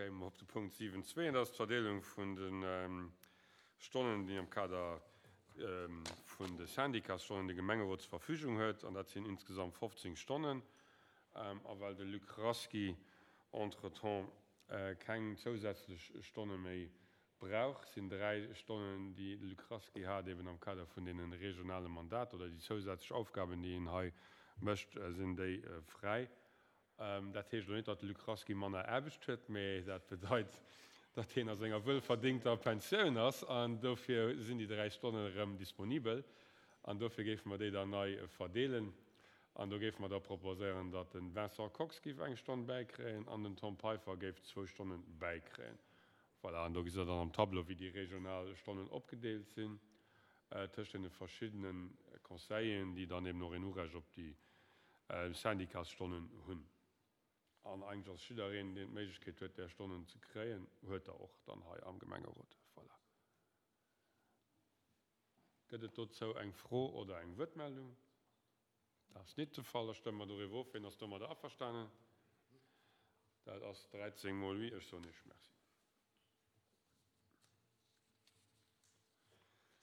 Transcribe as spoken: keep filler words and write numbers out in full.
kéime mer op de Punkt siwen zwee, an dat ass d'Verdeelung vun de Stonnen, déi am Kader vun de Syndicatsstonnen de Gemengerot zur Verfügung huet, an dat sinn insgesamt fofzéng Stonnen. A well de Luc Rasqui entretemps keng zousätzlech Stonne méi brauch, sinn dräi Stonnen, déi de Luc Rasqui hat, eben am Kader vun deene regionale Mandater oder déi zousätzlech Aufgaben, déi en hei mécht, sinn déi fräi. Dat heescht elo net, datt de Luc Rasqui manner Aarbecht huet, mä dat bedeit, datt hien a senger wuelverdéngter Pensioun ass an dofir sinn déi dräi Stonnen erëm disponibel an dofir géife mer déi dann nei verdeelen. An do géife mer da proposéieren, datt de Vincent Kox géif eng Stonn bäikréien an den Tom Peiffer géif zwou Stonne bäikréien. Voilà, an do gesitt Der dann am Tableau, wéi déi regional Stonnen opgedeelt sinn tëscht deene verschiddene Conseilleren, déi dann eben och een Urecht op déi Syndicatsstonnen hunn. An eigentlech ass jiddereen, deen d'Méiglechkeet huet, där Stonnen ze kréien, huet der och dann hei am Gemengerot. Voilà. Gëtt et dozou eng Fro oder eng Wuertmeldung? Dat ass nit de Fall. Da stëmme mer doriwwer of. Wien ass domadder averstanen? Dat ass dräizéng mol oui. Ech soen Iech Merci.